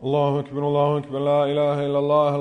Allahu akbar, la ilaha illallah,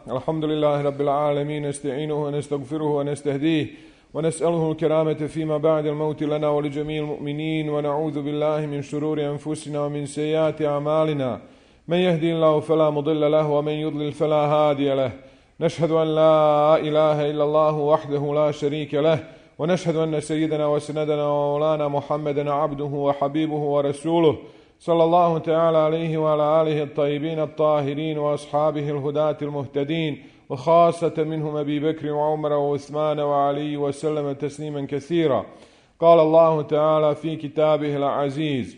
alhamdulillahi rabbil alamin, nasta'inuhu wa nastaghfiruhu wa nastahdihi wa nas'aluhu al-karamata fima ba'da al-mawti lana wa li jami'il mu'minin wa na'udhu billahi min shururi anfusina wa min sayyiati a'malina. Man yahdihillahu fala mudilla lahu wa man yudlil fala hadiya lahu. Nashhadu an la ilaha illallah wahdahu la sharika lahu wa nashhadu anna sayyidana wa sanadana wa maulana Muhammadan 'abduhu wa habibuhu wa rasuluhu. صلى الله تعالى عليه وعلى آله الطيبين الطاهرين وأصحابه الهداة المهتدين وخاصة منهم أبي بكر وعمر وعثمان وعلي وسلم تسليما كثيرا. قال الله تعالى في كتابه العزيز: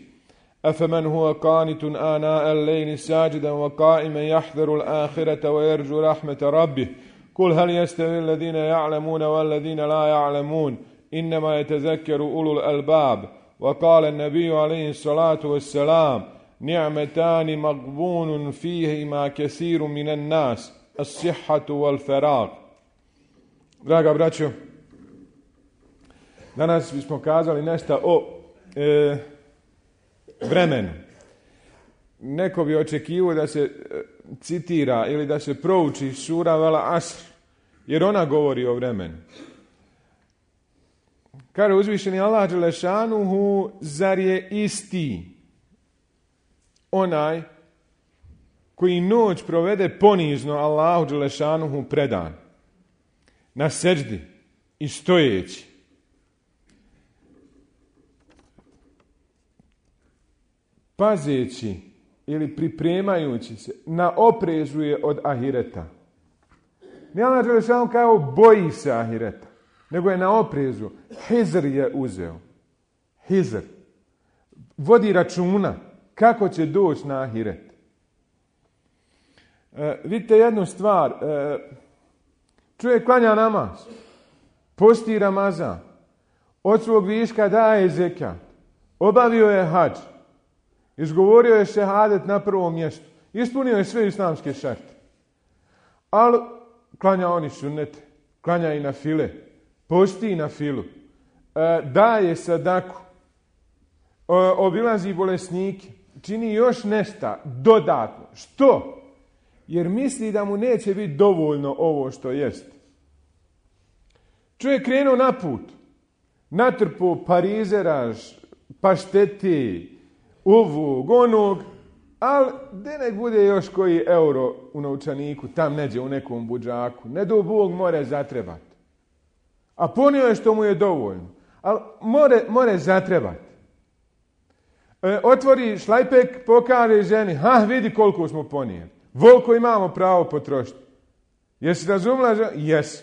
أفمن هو قانت آناء الليل ساجدا وقائما يحذر الآخرة ويرجو رحمة ربه قل هل يستوي الذين يعلمون والذين لا يعلمون إنما يتذكر أولو الألباب. وقال النبي عليه الصلاة والسلام: نعمتان مغبون فيهما كثير من الناس الصحة والفراغ. Draga braćo, danas bismo kazali nešto o vremenu. Neko bi očekivao da se citira ili da se prouči sura Vel Asr, jer ona govori o vremenu. Kaže uzvišeni Allah dželešanuhu: zar je isti onaj koji noć provede ponizno Allahu dželešanuhu predan, na seđdi i stojeći, pazeći ili pripremajući se, na oprezu je od ahireta. Ne Allah dželešanuhu kao boji se ahireta, nego je na oprezu. Hizr je uzeo. Hizr. Vodi računa kako će doći na ahiret. Vidite jednu stvar. Čovjek klanja namaz, posti Ramazan, od svog viška daje zekat, obavio je hadž, izgovorio je šehadet na prvom mjestu, ispunio je sve islamske šarte. Ali klanja oni sunnete, klanja i na file, posti na filu, daje sadaku, obilazi bolesnike, čini još nešto dodatno. Što? Jer misli da mu neće biti dovoljno ovo što jest. Čovjek krenuo na put, natrpao parizeraž, pašteti, ovog, onog, ali da nek bude još koji euro u novčaniku, tam neđe u nekom budžaku, ne do Bog more zatrebati. A ponio je što mu je dovoljno. Ali more zatrebati. Otvori šlajpek, pokaže ženi: vidi koliko smo ponijeli. Voliko imamo pravo potrošiti. Jesi razumela? Jes.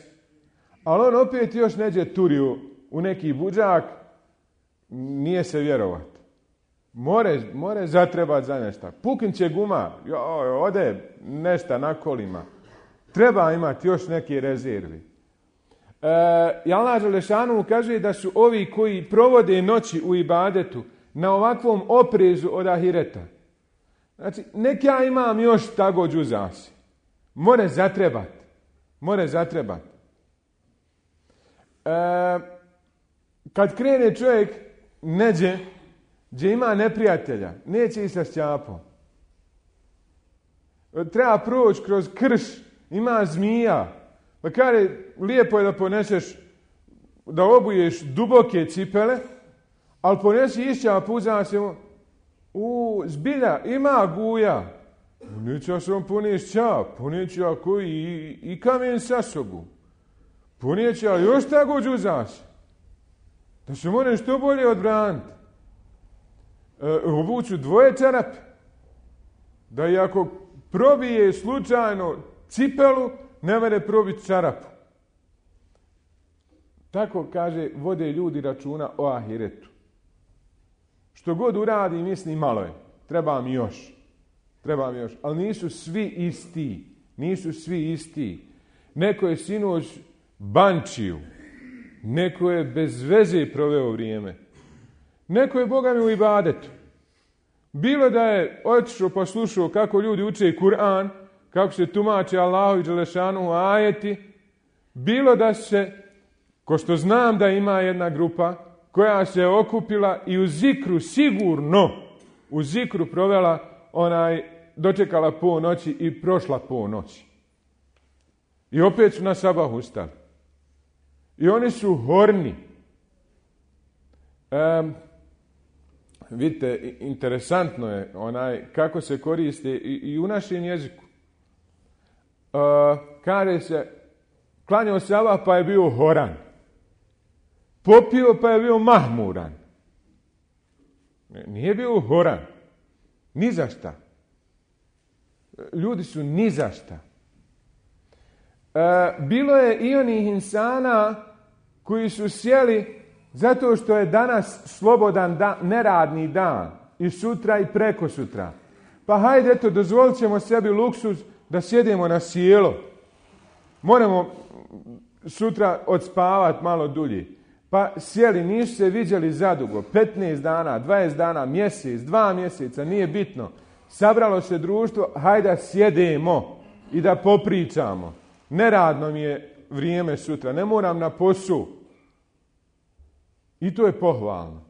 Ali on opet još neđe turiju u neki budžak, nije se vjerovati. More zatrebati za nešto. Puknit će guma, ode nešto na kolima. Treba imati još neke rezervi. I Allah dželešanu kaže da su ovi koji provode noći u ibadetu na ovakvom oprezu od ahireta. Znači, nek ja imam još tako džuzasi. More zatrebati. Kad krene čovjek neđe, gdje ima neprijatelja, neće i sa šćapom. Treba proći kroz krš, ima zmija. Pa kaže, lijepo je da poneseš, da obuješ duboke cipele, ali ponesi išćap, uzam se mu, zbilja, ima guja. Neću ja sam poniješ čap, ponijeću ja koji i kamen sa sobu. Ponijeću ja još tako džuzaš, da se moram što bolje odbraniti. Obuću dvoje čarape, da i ako probije slučajno cipelu, ne mere probiti čarapu. Tako, kaže, vode ljudi računa o ahiretu. Što god uradi, misli malo je. Treba mi još. Ali nisu svi isti. Neko je sinoć bančiju. Neko je bez veze proveo vrijeme. Neko je, Boga mi, u ibadetu. Bilo da je otišao pa slušao kako ljudi uče Kur'an, kako se tumače Allahovi dželešanuhu ajeti, bilo da se, ko što znam da ima jedna grupa koja se okupila i u zikru sigurno, u zikru provela dočekala ponoći i prošla ponoć. I opet su na sabah ustali. I oni su horni. Vidite, interesantno je kako se koriste i u našem jeziku. Kaže se, klanjao sabah pa je bio horan. Popio pa je bio mahmuran. Nije bio horan. Ni za šta. Ljudi su ni za šta. Bilo je i onih insana koji su sjeli zato što je danas slobodan dan, neradni dan. I sutra i preko sutra. Pa hajde, eto, dozvolit ćemo sebi luksuz da sjedemo na sjelo. Moramo sutra odspavati malo dulje. Pa sjeli, nisu se viđali zadugo. 15 dana, 20 dana, mjesec, 2 mjeseca, nije bitno. Sabralo se društvo, hajde sjedemo i da popričamo. Neradno mi je vrijeme sutra, ne moram na posao. I to je pohvalno.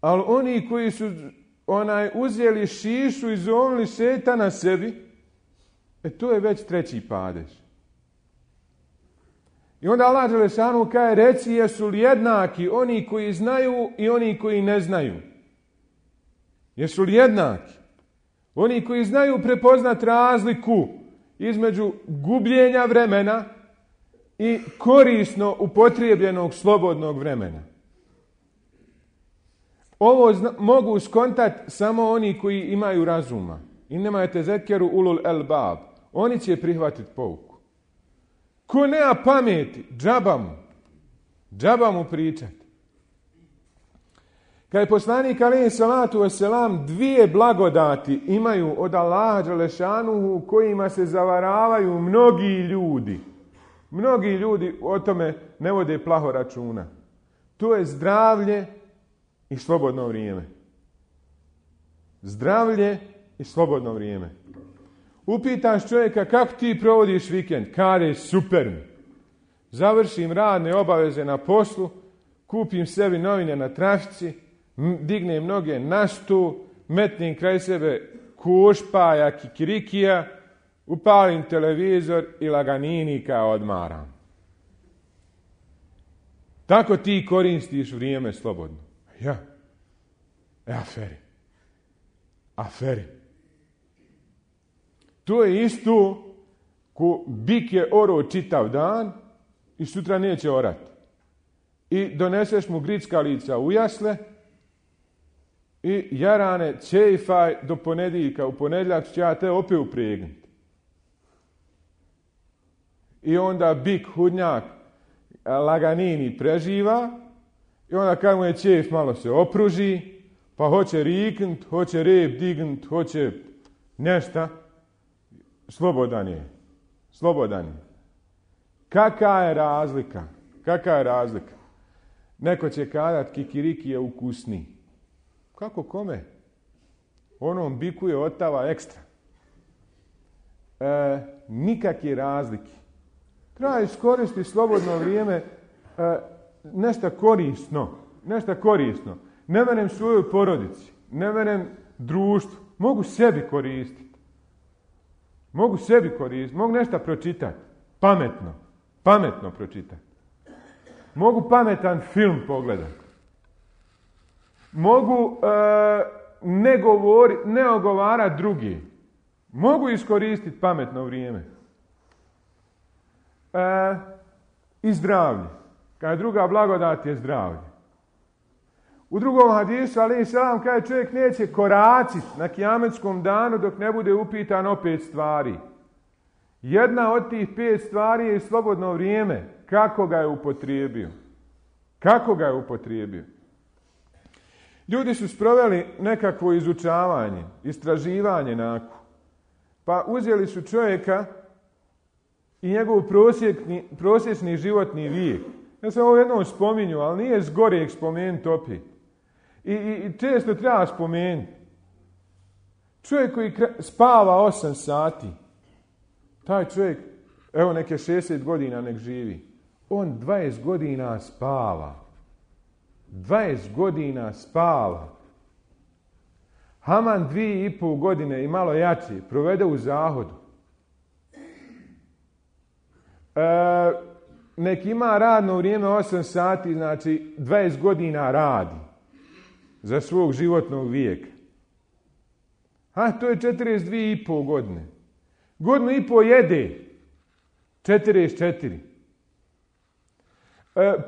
Ali oni koji su uzeli šišu i zovnili šetana sebi, to je već treći padež. I onda Allah dželešanu kaže, reci jesu li jednaki oni koji znaju i oni koji ne znaju. Jesu li jednaki? Oni koji znaju prepoznat razliku između gubljenja vremena i korisno upotrijebljenog slobodnog vremena. Ovo mogu skontati samo oni koji imaju razuma. Innema yetezekkeru ulul albab. Oni će prihvatiti pouku. Ko nema pameti, džaba mu pričati. Kad je poslanik alejhi salatu vesselam 2 blagodati imaju od Allaha dželešanuhu kojima se zavaravaju mnogi ljudi. Mnogi ljudi o tome ne vode plaho računa. To je zdravlje i slobodno vrijeme. Zdravlje i slobodno vrijeme. Upitaš čovjeka kako ti provodiš vikend? Kaže, super mi. Završim radne obaveze na poslu, kupim sebi novine na trafici, dignem noge na stul, metnem kraj sebe košpaja, kikirikija, upalim televizor i laganinika odmaram. Tako ti koristiš vrijeme slobodno. Ja. Aferi. To je isto ko bik je orao čitav dan i sutra neće orati. I doneseš mu grickalica u jasle i jarane čejfaj do ponedjeljka. U ponedjeljak će ja te opet upregnuti. I onda bik hudnjak laganini preživa i onda kad mu je čejf malo se opruži, pa hoće riknut, hoće rep dignut, hoće nešta. Slobodan je. Kakva je razlika? Neko će kazati kikiriki je ukusniji. Kako kome? Onom biku je otava ekstra. Nikakve razlike. Treba iskoristiti slobodno vrijeme nešto korisno. Ne menem svojoj porodici, ne menem društvu. Mogu sebi koristiti, mogu nešto pročitati. Pametno pročitati. Mogu pametan film pogledati. Mogu ne ogovarati drugi. Mogu iskoristiti pametno vrijeme. I zdravlje. Kada je druga blagodat je zdravlje. U drugom hadisu, alejhi selam, kaže čovjek neće koraciti na kijametskom danu dok ne bude upitan o 5 stvari. Jedna od tih 5 stvari je slobodno vrijeme. Kako ga je upotrijebio? Ljudi su sproveli nekakvo izučavanje, istraživanje nakon. Pa uzeli su čovjeka i njegov prosječni životni vijek. Ja sam ovo jednom spominju, ali nije zgorek spomenuti opet. I često treba spomenuti. Čovjek koji spava 8 sati, taj čovjek, evo neke 60 godina nek živi, on 20 godina spava. Haman 2,5 godine i malo jači provede u zahodu. Nek ima radno vrijeme 8 sati, znači 20 godina radi za svog životnog vijeka. To je 42,5 godine. Godinu i po jede. 44.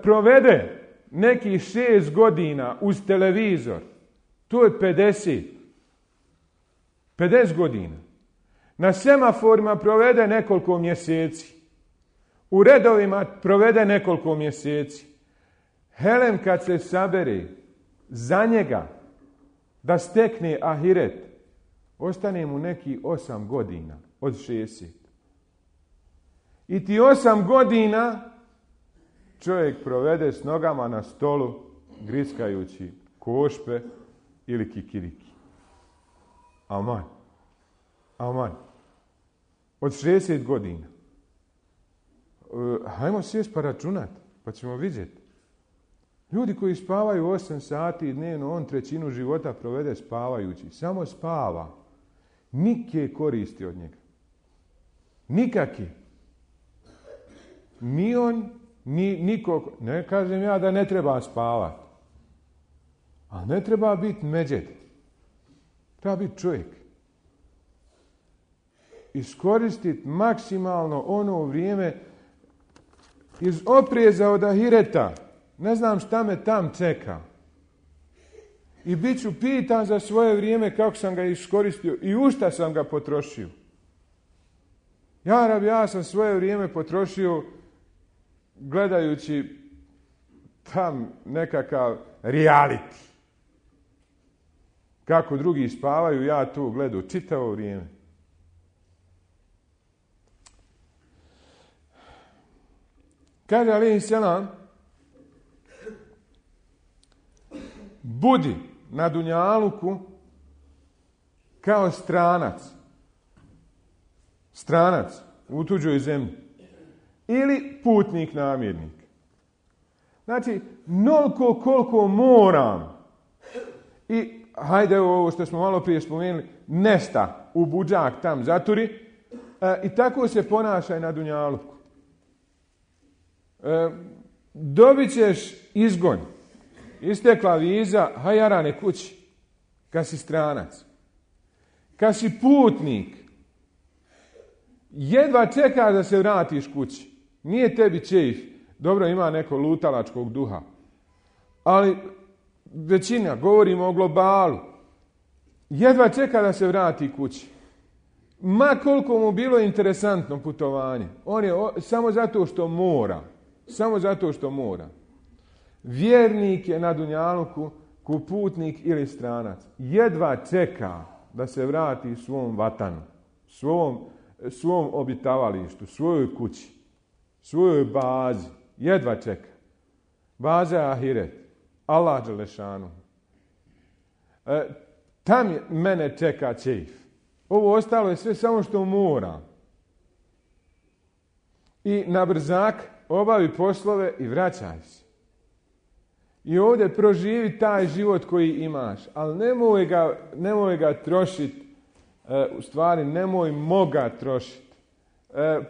Provede nekih 6 godina uz televizor. To je 50. 50 godina. Na semaforima provede nekoliko mjeseci. U redovima provede nekoliko mjeseci. Helen kad se sabere za njega da stekne ahiret, ostane mu neki 8 godina od 60. I ti 8 godina čovjek provede s nogama na stolu griskajući košpe ili kikiriki. Aman. Aman. Od 60 godina. Hajmo sjest pa računat, pa ćemo vidjeti. Ljudi koji spavaju 8 sati dnevno, on 1/3 života provede spavajući. Samo spava. Nike koristi od njega. Nikaki. Ni on, ni nikog. Ne kažem ja da ne treba spavati. A ne treba biti međed. Treba biti čovjek. Iskoristiti maksimalno ono vrijeme iz opreza od ahireta. Ne znam šta me tam čeka. I bit ću pitan za svoje vrijeme kako sam ga iskoristio i u šta sam ga potrošio. Ja sam svoje vrijeme potrošio gledajući tam nekakav reality. Kako drugi spavaju, ja tu gledam čitavo vrijeme. Kaže alejhi selam, budi na dunjaluku kao stranac. Stranac u tuđoj zemlji. Ili putnik namjernik. Znači, noliko koliko moram. I hajde ovo što smo malo prije spomenuli, nesta u budžak tam zaturi. I tako se ponašaj na dunjaluku. Dobit ćeš izgon. Istekla viza, hajarane kući. Kad si stranac. Kad si putnik, jedva čekaš da se vratiš kući. Nije tebi čejf. Dobro, ima neko lutalačkog duha. Ali većina, govorimo o globalu, jedva čeka da se vrati kući. Ma koliko mu bilo interesantno putovanje. On je samo zato što mora. Samo zato što mora. Vjernik je na dunjaluku ko putnik ili stranac. Jedva čeka da se vrati svom vatanu, svom obitavalištu, svojoj kući, svojoj bazi. Jedva čeka. Baza je ahiret. Allah dželešanu. Tam mene čeka čejf. Ovo ostalo je sve samo što mora. I na brzak obavi poslove i vraćaj se. I ovdje proživi taj život koji imaš. Ali nemoj ga trošiti. U stvari, nemoj ga trošiti.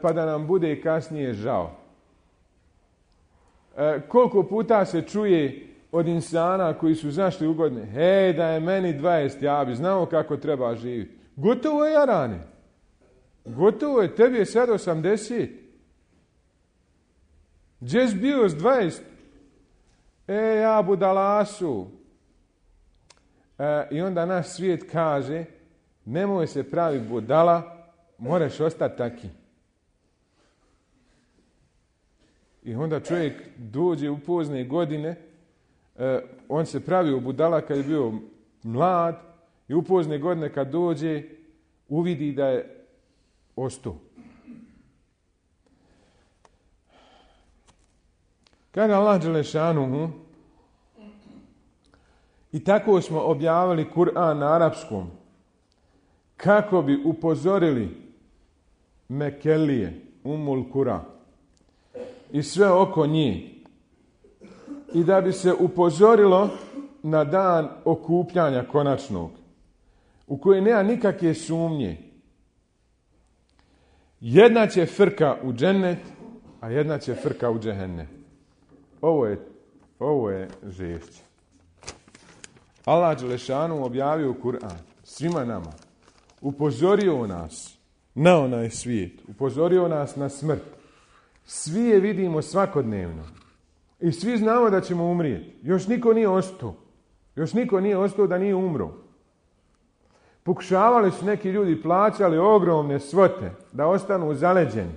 Pa da nam bude kasnije žao. Koliko puta se čuje od insana koji su zašli u godine. Hej, da je meni 20, ja bi znao kako treba živjeti. Gotovo je, jarane. Gotovo je, tebi je sad 80. Gdje si bio s 20? Ja budalasu. I onda naš svijet kaže, nemoj se pravi budala, moraš ostati taki. I onda čovjek dođe u pozne godine, on se pravi u budala kad je bio mlad i u pozne godine kad dođe uvidi da je ostao. Kaže Allah dželešanuhu, i tako smo objavili Kur'an na arapskom, kako bi upozorili Mekelije, Umul Kura, i sve oko njih, i da bi se upozorilo na dan okupljanja konačnog, u kojoj nema nikakve sumnje. Jedna će frka u džennet, a jedna će frka u džehennem. Ovo je žešće. Allah dželešanu objavio Kur'an svima nama. Upozorio nas na onaj svijet. Upozorio nas na smrt. Svi je vidimo svakodnevno. I svi znamo da ćemo umrijeti. Još niko nije ostao. Još niko nije ostao da nije umro. Pokušavali su neki ljudi, plaćali ogromne svote da ostanu zaleđeni.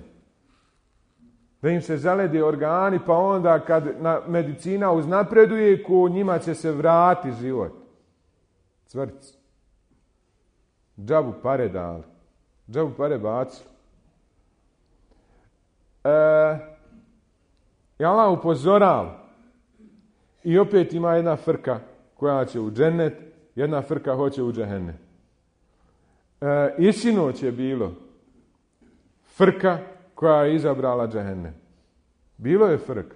Da im se zalede organi, pa onda kad medicina uznapreduje, ko njima će se vratiti život. Cvrc. Džabu pare dali. Džabu pare bacili. I Allah upozorava. I opet ima jedna frka koja će u džennet, jedna frka hoće u džehennem. I sinoć je bilo frka koja je izabrala džehennem. Bilo je frka.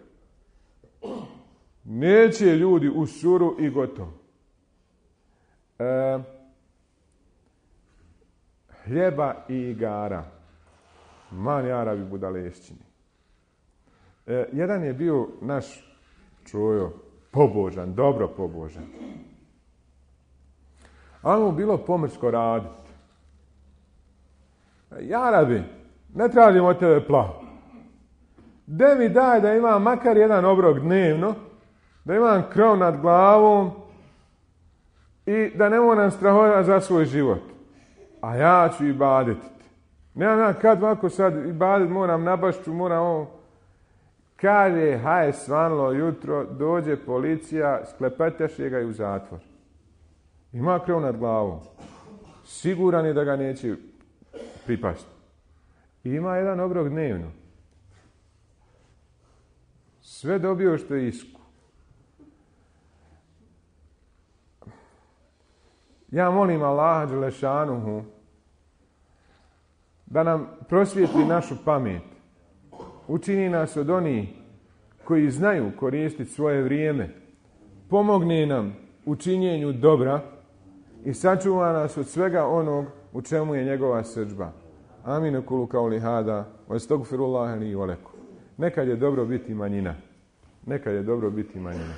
Neće ljudi u suru i gotovo. Hljeba i igara. Man Arabi budalešćini. Jedan je bio naš čujo, pobožan, dobro pobožan. Ali mu bilo pomrsko raditi. Arabi, ne tražim od tebe plavu. De mi daj da imam makar jedan obrok dnevno, da imam krov nad glavom i da ne moram strahovati za svoj život. A ja ću ibadetiti. Nemam ja kad ovako sad ibadet, moram na bašću, moram ovo. Kaže, haj svanlo jutro, dođe policija, sklepeteše ga i u zatvor. Ima krov nad glavom. Siguran je da ga neće pripasti. Ima jedan obrok dnevno. Sve dobio što je isku. Ja molim Allaha dželešanuhu da nam prosvijetli našu pamet. Učini nas od onih koji znaju koristiti svoje vrijeme. Pomogne nam u činjenju dobra i sačuva nas od svega onog u čemu je njegova srdžba. Amin kulu kauli hada wa astagfirullaha li wa lakum. Nekad je dobro biti manjina. Nekad je dobro biti manjina.